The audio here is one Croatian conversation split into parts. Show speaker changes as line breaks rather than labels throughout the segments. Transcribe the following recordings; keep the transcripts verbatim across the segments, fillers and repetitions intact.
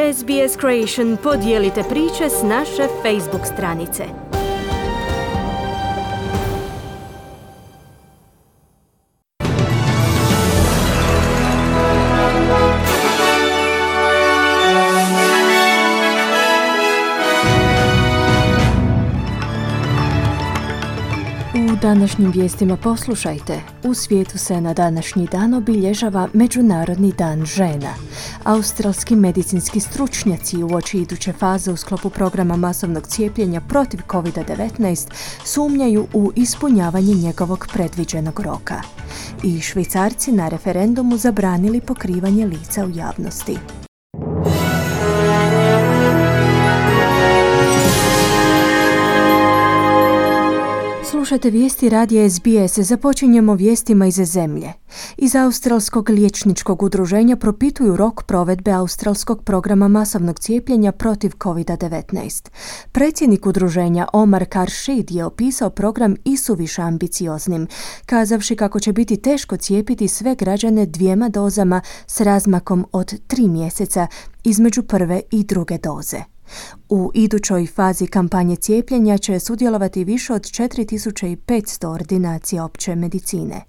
S B S Creation podijelite priče s naše Facebook stranice. U današnjim vijestima poslušajte. U svijetu se na današnji dan obilježava Međunarodni dan žena. Australski medicinski stručnjaci uoči iduće faze u sklopu programa masovnog cijepljenja protiv covid devetnaest sumnjaju u ispunjavanje njegovog predviđenog roka. I Švicarci na referendumu zabranili pokrivanje lica u javnosti. Slušajte vijesti radija S B S. Započinjemo vijestima iz zemlje. Iz Australskog liječničkog udruženja propituju rok provedbe Australskog programa masovnog cijepljenja protiv covid devetnaest. Predsjednik udruženja Omar Karshid je opisao program isuviše ambicioznim, kazavši kako će biti teško cijepiti sve građane dvijema dozama s razmakom od tri mjeseca između prve i druge doze. U idućoj fazi kampanje cijepljenja će sudjelovati više od četiri tisuće petsto ordinacija opće medicine.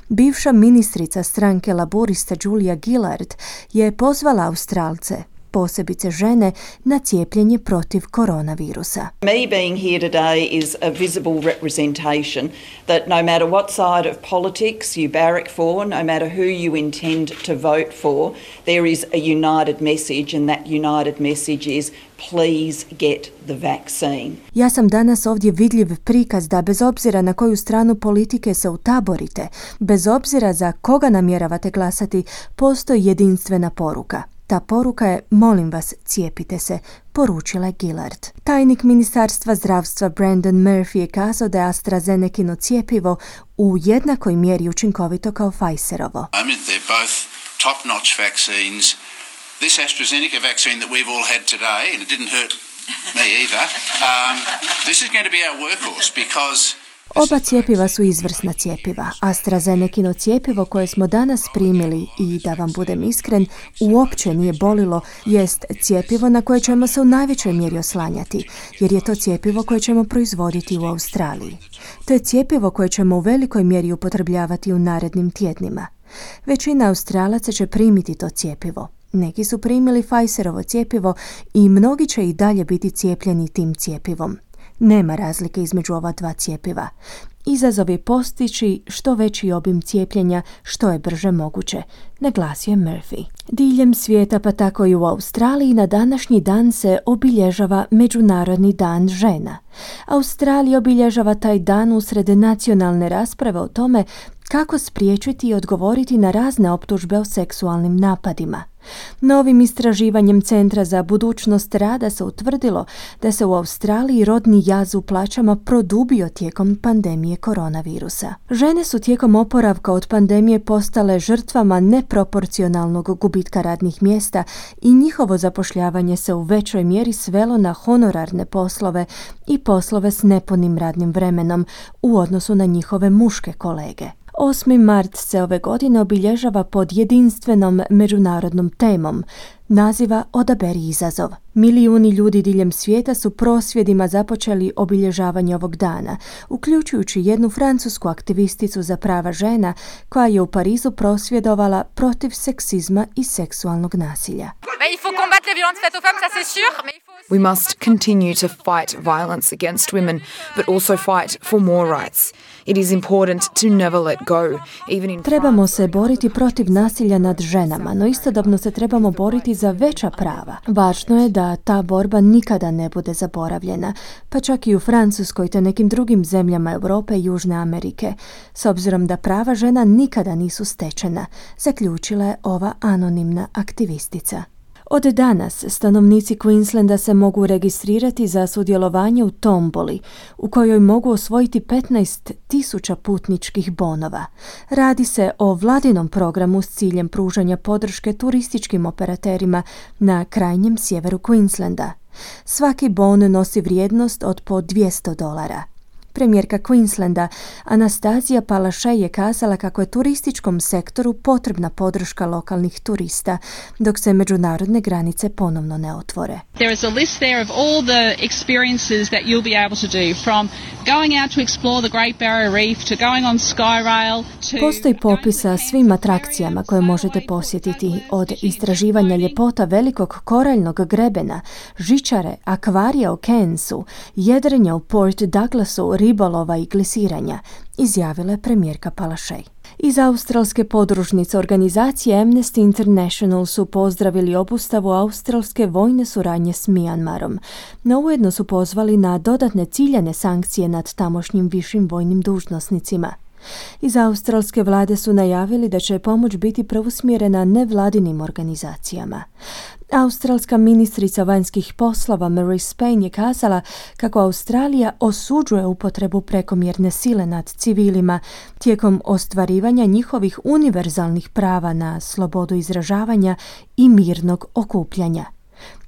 Bivša ministrica stranke laborista Julia Gillard je pozvala Australce, posebice žene, na cijepljenje protiv koronavirusa.
Me being here today is a visible representation that no matter what side of politics you barrack for, no matter who you intend to vote for, there is a united message, and that united message is please get the vaccine.
Ja sam danas ovdje vidljiv prikaz da bez obzira na koju stranu politike se utaborite, bez obzira za koga namjeravate glasati, postoji jedinstvena poruka. Ta poruka je, molim vas, cijepite se, poručila je Gillard. Tajnik Ministarstva zdravstva Brandon Murphy je kazao da je AstraZenecino cjepivo u jednakoj mjeri učinkovito kao Pfizerovo.
I mean, they're both top-notch vaccines. This AstraZeneca vaccine that we've all had today, and it didn't hurt me either, um, this is going to be our workhorse because
Oba cjepiva su izvrsna cjepiva. AstraZenecino cjepivo koje smo danas primili i, da vam budem iskren, uopće nije bolilo, jest cjepivo na koje ćemo se u najvećoj mjeri oslanjati, jer je to cjepivo koje ćemo proizvoditi u Australiji. To je cjepivo koje ćemo u velikoj mjeri upotrebljavati u narednim tjednima. Većina Australaca će primiti to cjepivo. Neki su primili Pfizerovo cjepivo i mnogi će i dalje biti cijepljeni tim cjepivom. Nema razlike između ova dva cjepiva. Izazov je postići što veći obim cijepljenja što je brže moguće, naglasio je Murphy. Diljem svijeta, pa tako i u Australiji, na današnji dan se obilježava Međunarodni dan žena. Australija obilježava taj dan usred nacionalne rasprave o tome kako spriječiti i odgovoriti na razne optužbe o seksualnim napadima. Novim istraživanjem Centra za budućnost rada se utvrdilo da se u Australiji rodni jaz u plaćama produbio tijekom pandemije koronavirusa. Žene su tijekom oporavka od pandemije postale žrtvama neproporcionalnog gubitka radnih mjesta i njihovo zapošljavanje se u većoj mjeri svelo na honorarne poslove i poslove s nepunim radnim vremenom u odnosu na njihove muške kolege. osmi mart se ove godine obilježava pod jedinstvenom međunarodnom temom, naziva Odaberi izazov. Milijuni ljudi diljem svijeta su prosvjedima započeli obilježavanje ovog dana, uključujući jednu francusku aktivisticu za prava žena koja je u Parizu prosvjedovala protiv seksizma i seksualnog nasilja.
We must continue to fight violence against women, but also fight for more rights. It is important to never let go. Even in
Trebamo se boriti protiv nasilja nad ženama, no istodobno se trebamo boriti za veća prava. Važno je da ta borba nikada ne bude zaboravljena, pa čak i u Francuskoj te nekim drugim zemljama Europe i Južne Amerike, s obzirom da prava žena nikada nisu stečena, zaključila je ova anonimna aktivistica. Od danas stanovnici Queenslanda se mogu registrirati za sudjelovanje u tomboli, u kojoj mogu osvojiti petnaest tisuća putničkih bonova. Radi se o vladinom programu s ciljem pružanja podrške turističkim operaterima na krajnjem sjeveru Queenslanda. Svaki bon nosi vrijednost od po dvjesto dolara. premijerka Queenslanda Anastazija Palaszczuk je kazala kako je turističkom sektoru potrebna podrška lokalnih turista dok se međunarodne granice ponovno ne otvore.
There is a list there of all the experiences that you'll be able to do, from going out to explore the Great Barrier Reef to going on Skyrail to...
Postoji popis sa svim atrakcijama koje možete posjetiti, od istraživanja ljepota velikog koraljnog grebena, žičare, akvarija u Cairnsu, jedrenja u Port Douglasu, ribolova i glisiranja, izjavila je premijerka Palaszczuk. Iz australske podružnice organizacije Amnesty International su pozdravili obustavu australske vojne suradnje s Mijanmarom, no ujedno su pozvali na dodatne ciljane sankcije nad tamošnjim višim vojnim dužnosnicima. Iz australske vlade su najavili da će pomoć biti preusmjerena nevladinim organizacijama. Australska ministrica vanjskih poslova Marise Payne je kazala kako Australija osuđuje upotrebu prekomjerne sile nad civilima tijekom ostvarivanja njihovih univerzalnih prava na slobodu izražavanja i mirnog okupljanja.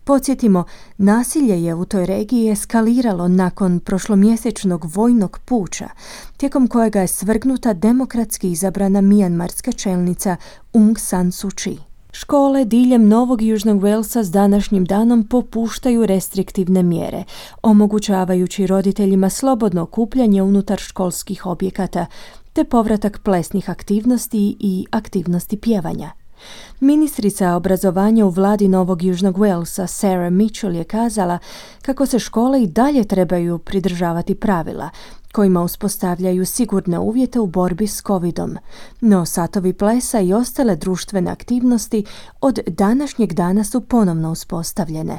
Podsjetimo, nasilje je u toj regiji eskaliralo nakon prošlomjesečnog vojnog puča, tijekom kojega je svrgnuta demokratski izabrana mijanmarska čelnica Aung San Suu Kyi. Škole diljem Novog Južnog Walesa s današnjim danom popuštaju restriktivne mjere, omogućavajući roditeljima slobodno okupljanje unutar školskih objekata, te povratak plesnih aktivnosti i aktivnosti pjevanja. Ministrica obrazovanja u vladi Novog Južnog Walesa Sarah Mitchell je kazala kako se škole i dalje trebaju pridržavati pravila, kojima uspostavljaju sigurne uvjete u borbi s covidom, no satovi plesa i ostale društvene aktivnosti od današnjeg dana su ponovno uspostavljene.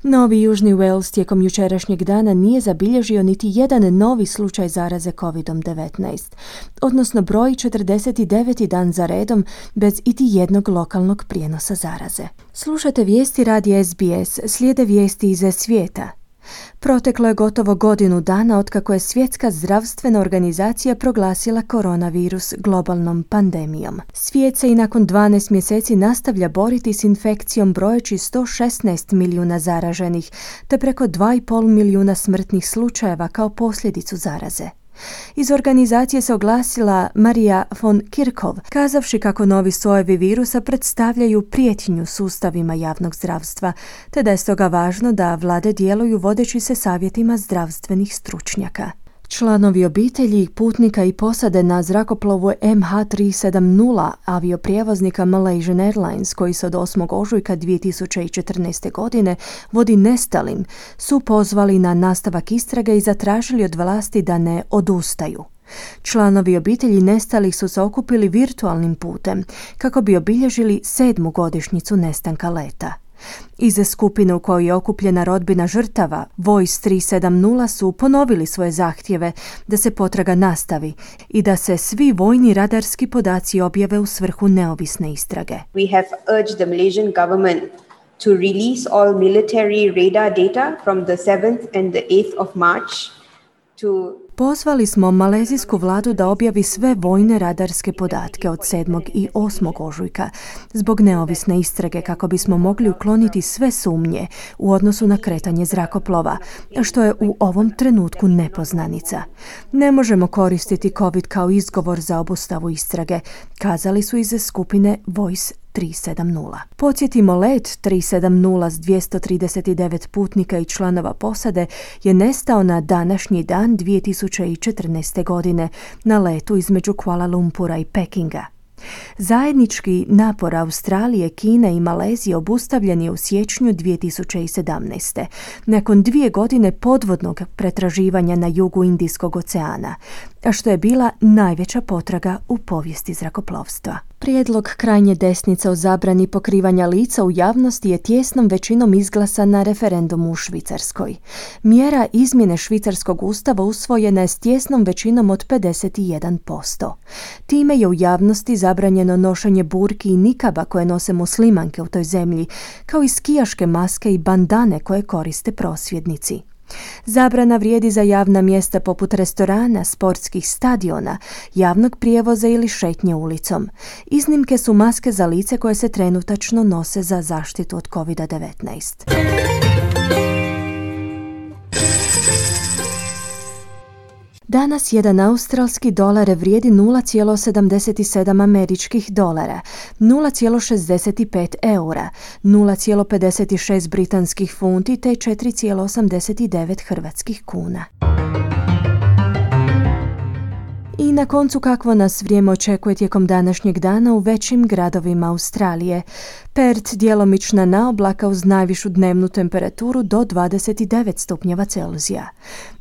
Novi Južni Wales tijekom jučerašnjeg dana nije zabilježio niti jedan novi slučaj zaraze kovid devetnaest, odnosno broji četrdeset deveti dan za redom bez iti jednog lokalnog prijenosa zaraze. Slušate vijesti radija S B S, slijede vijesti iz svijeta. Proteklo je gotovo godinu dana otkako je Svjetska zdravstvena organizacija proglasila koronavirus globalnom pandemijom. Svijet se i nakon dvanaest mjeseci nastavlja boriti s infekcijom brojeći sto šesnaest milijuna zaraženih, te preko dva i pol milijuna smrtnih slučajeva kao posljedicu zaraze. Iz organizacije se oglasila Maria von Kerkhove, kazavši kako novi sojevi virusa predstavljaju prijetnju sustavima javnog zdravstva, te da je stoga važno da vlade djeluju vodeći se savjetima zdravstvenih stručnjaka. Članovi obitelji, putnika i posade na zrakoplovu M H tri sedamdeset avioprijevoznika Malaysian Airlines, koji se od osmog ožujka dvije tisuće četrnaeste. godine vodi nestalim, su pozvali na nastavak istrage i zatražili od vlasti da ne odustaju. Članovi obitelji nestalih su se okupili virtualnim putem kako bi obilježili sedmu godišnjicu nestanka leta. Iz skupine u kojoj je okupljena rodbina žrtava, Voice tri sedamdeset su ponovili svoje zahtjeve da se potraga nastavi i da se svi vojni radarski podaci objave u svrhu neovisne istrage.
We have urged the Malaysian government to release all military radar data from the seventh and the eighth of March to
Pozvali smo malezijsku vladu da objavi sve vojne radarske podatke od sedmog i osmog ožujka zbog neovisne istrage kako bismo mogli ukloniti sve sumnje u odnosu na kretanje zrakoplova, što je u ovom trenutku nepoznanica. Ne možemo koristiti COVID kao izgovor za obustavu istrage, kazali su iz skupine Voice tri sedamdeset. Podsjetimo, let tri sedamdeset s dvjesto trideset devet putnika i članova posade je nestao na današnji dan dvije tisuće četrnaeste. godine na letu između Kuala Lumpura i Pekinga. Zajednički napor Australije, Kine i Malezije obustavljen je u siječnju dvije tisuće sedamnaeste. nakon dvije godine podvodnog pretraživanja na jugu Indijskog oceana, a što je bila najveća potraga u povijesti zrakoplovstva. Prijedlog krajnje desnice o zabrani pokrivanja lica u javnosti je tjesnom većinom izglasan na referendumu u Švicarskoj. Mjera izmjene švicarskog ustava usvojena je s tjesnom većinom od pedeset jedan posto. Time je u javnosti zabranjeno nošenje burki i nikaba koje nose muslimanke u toj zemlji, kao i skijaške maske i bandane koje koriste prosvjednici. Zabrana vrijedi za javna mjesta poput restorana, sportskih stadiona, javnog prijevoza ili šetnje ulicom. Iznimke su maske za lice koje se trenutačno nose za zaštitu od kovid devetnaest. Danas jedan australski dolar vrijedi nula zarez sedamdeset sedam američkih dolara, nula zarez šezdeset pet eura, nula zarez pedeset šest britanskih funti te četiri zarez osamdeset devet hrvatskih kuna. I na koncu kakvo nas vrijeme očekuje tijekom današnjeg dana u većim gradovima Australije. Perth djelomična naoblaka uz najvišu dnevnu temperaturu do dvadeset devet stupnjeva Celzija.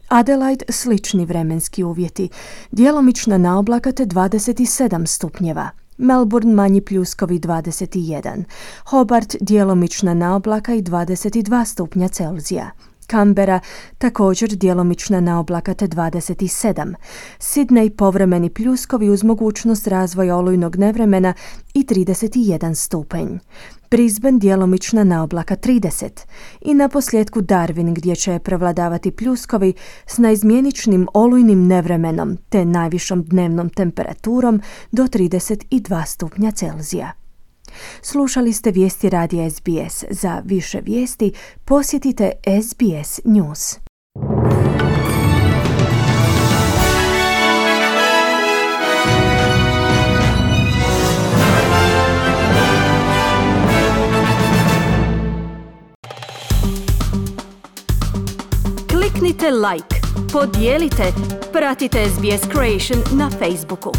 Adelaide slični vremenski uvjeti, djelomična naoblaka te dvadeset sedam stupnjeva. Melbourne manji pljuskovi dvadeset jedan. Hobart djelomična naoblaka i dvadeset dva stupnja Celzija. Canberra također djelomična naoblaka te dvadeset sedam. Sydney povremeni pljuskovi uz mogućnost razvoja olujnog nevremena i trideset jedan stupanj. Brisbane djelomična naoblaka trideset. I na posljedku Darwin gdje će prevladavati pljuskovi s naizmjeničnim olujnim nevremenom te najvišom dnevnom temperaturom do trideset dva stupnja Celzija. Slušali ste vijesti radija S B S. Za više vijesti posjetite S B S News.
Kliknite like, podijelite, pratite S B S Creation na Facebooku.